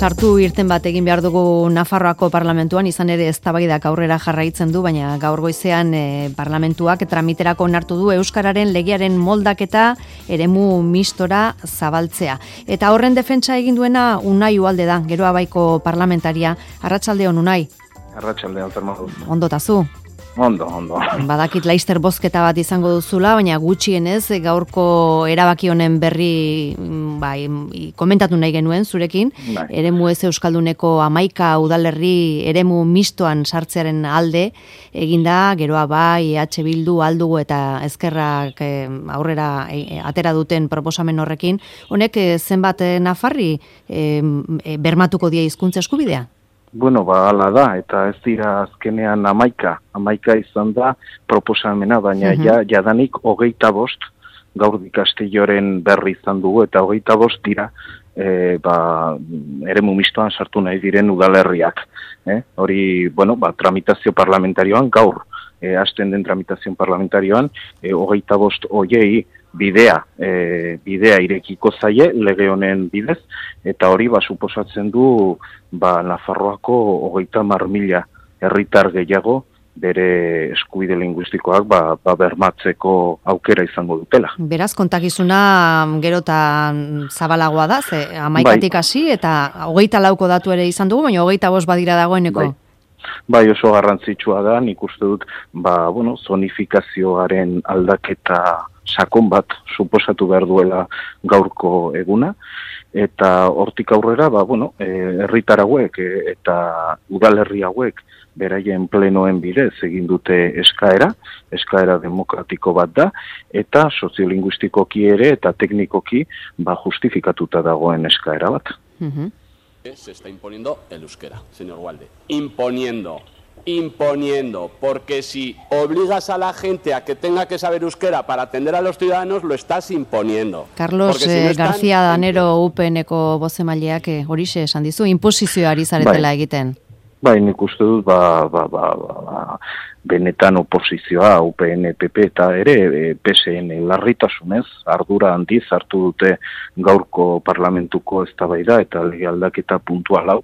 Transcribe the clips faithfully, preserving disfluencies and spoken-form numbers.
sartu irten bat egin behar dugu Nafarroako parlamentuan, izan ere eztabaidak aurrera jarraitzen du, baina gaur goizean e, parlamentuak tramiterako onartu du euskararen legearen moldaketa eremu mistora zabaltzea. Eta horren defentsa egin duena Unai Ugalde da, Geroa Baiko parlamentaria. Arratsaldeon, Unai. Arratsaldeon, Fernando. Ondo tazu? Ondo, ondo. Badakit laister bozketa bat izango duzula, baina gutxienez gaurko erabaki honen berri bai, komentatu nahi genuen zurekin. Bai. Eremu ez euskalduneko hamaika udalerri eremu mistoan sartzearen alde eginda, Geroa Bai, E H Bildu, Aldugu eta Ezkerrak eh, aurrera eh, atera duten proposamen horrekin. Honek eh, zenbat eh, nafarri eh, bermatuko die hizkuntza eskubidea? Bueno, ba, ala da, eta ez dira azkenean amaika, amaika izan da proposamena, baina uh-huh. ja, jadanik hogeita bost gaur dikastilloren berri izan dugu, eta hogeita bost dira e, ba, eremu mistoan sartu nahi diren udalerriak. Eh? Hori, bueno, ba, tramitazio parlamentarioan gaur, e, hasten den tramitazio parlamentarioan, e, hogeita bost hoiei bidea, e, bidea irekiko zaie lege honen bidez, eta hori ba suposatzen du ba Nafarroako hogeita hamar mila herritar gehiago bere eskubide linguistikoak ba, ba bermatzeko aukera izango dutela. Beraz, kontakizuna gero eta zabalagoa da, ze hamaikatik hasi eta hogeita lauko datu ere izan dugu, baina hogeita bost badira dagoeneko. Bai. Bai, oso garrantzitsua da, nik uste dut, ba, bueno, zonifikazioaren aldaketa sakon bat suposatu behar duela gaurko eguna, eta hortik aurrera, ba, bueno, herritar hauek e, eta udalerri hauek beraien plenoen bidez egin dute eskaera, eskaera demokratiko bat da, eta soziolinguistikoki ere eta teknikoki ba, justifikatuta dagoen eskaera bat. Mhm. Se está imponiendo el euskera, señor Ugalde. Imponiendo, imponiendo, porque si obligas a la gente a que tenga que saber euskera para atender a los ciudadanos, lo estás imponiendo. Carlos si no están... García Danero U P N-ko bozemaileak horixe esan dizu, inposizioari zaretela bai. Egiten. Bai, nik uste dut, ba, ba, ba, ba, benetan oposizioa, U P N, P P eta ere P S N larritasunez, ardura handiz hartu dute gaurko parlamentuko eztabaida eta lege aldaketa puntual hau.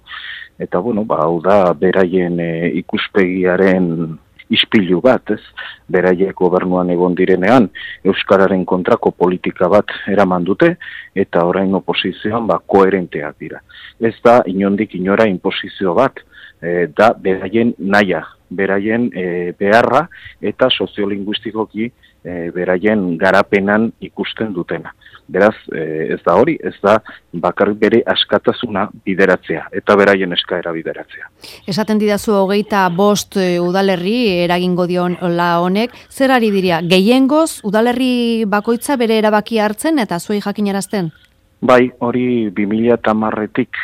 Eta, bueno, ba, hau da, beraien e, ikuspegiaren ispilu bat, ez? Beraiek gobernuan egon direnean, euskararen kontrako politika bat eraman dute, eta orain oposizioan, ba, koherenteak dira. Ez da, inondik inora inposizio bat, E, da beraien naia, beraien e, beharra eta soziolinguistikoki e, beraien garapenan ikusten dutena. Beraz, e, ez da hori, ez da bakarrik bere askatasuna bideratzea eta beraien eskaera bideratzea. Esaten didazu hogeita bost e, udalerri eragingo dion la honek, zer ari diria, gehiengoz udalerri bakoitza bere erabakia hartzen eta zuei jakinarazten? Bai, hori bi mila hamarretik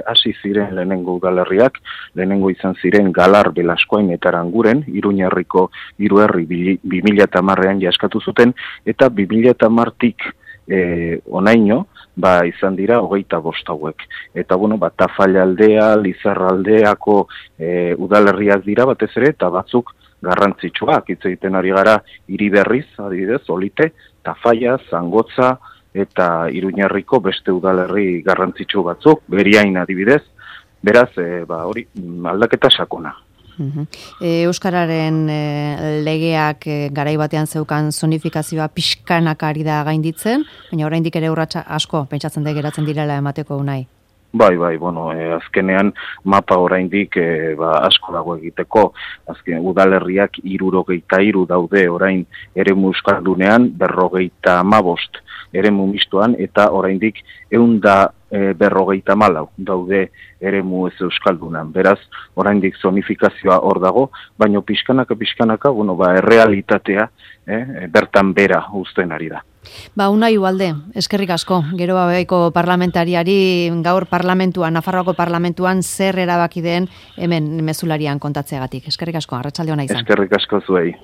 hasi ziren lehenengo udalerriak, lehenengo izan ziren Galar, Belaskoain eta Aranguren, Iruñerriko hiru herri bi mila hamarrean jaskatu zuten, eta bi mila hamartik e, onaino, ba, izan dira hogeita bost hauek. Eta, bueno, ba, Tafallaldea, Lizarraldeako e, udalerriak dira batez ere, eta batzuk garrantzitsuak, hitz egiten ari gara Iriberriz, adibidez, Olite, Tafalla, Zangotza, eta Iruñerriko beste udalerri garrantzitsu batzuk, Beriain adibidez, beraz, e, ba, hori, aldaketa sakona. Uh-huh. E, Euskararen e, legeak e, garai batean zeukan zonifikazioa pixkanak ari da gainditzen, baina oraindik ere urratsa asko pentsatzen da geratzen direla emateko Unai. Bai, bai, bueno, e, azkenean mapa oraindik e, ba, asko dago egiteko, azken udalerriak hirurogeita hiru daude orain eremu euskaldunean, berrogeita hamabost eremu mistoan, eta oraindik ehun da e, berrogeita hamalau daude eremu ez euskaldunan. Beraz, oraindik zonifikazioa hor dago, baino pixkanaka pixkanaka, bueno, ba, errealitatea eh, bertan bera uzten ari da. Ba, Unai Ugalde, eskerrik asko, Geroa Baiko parlamentariari gaur parlamentuan, Nafarroako parlamentuan zer erabaki den hemen mezularian kontatzeagatik. Eskerrik asko, arratsalde ona izan. Eskerrik asko zuei.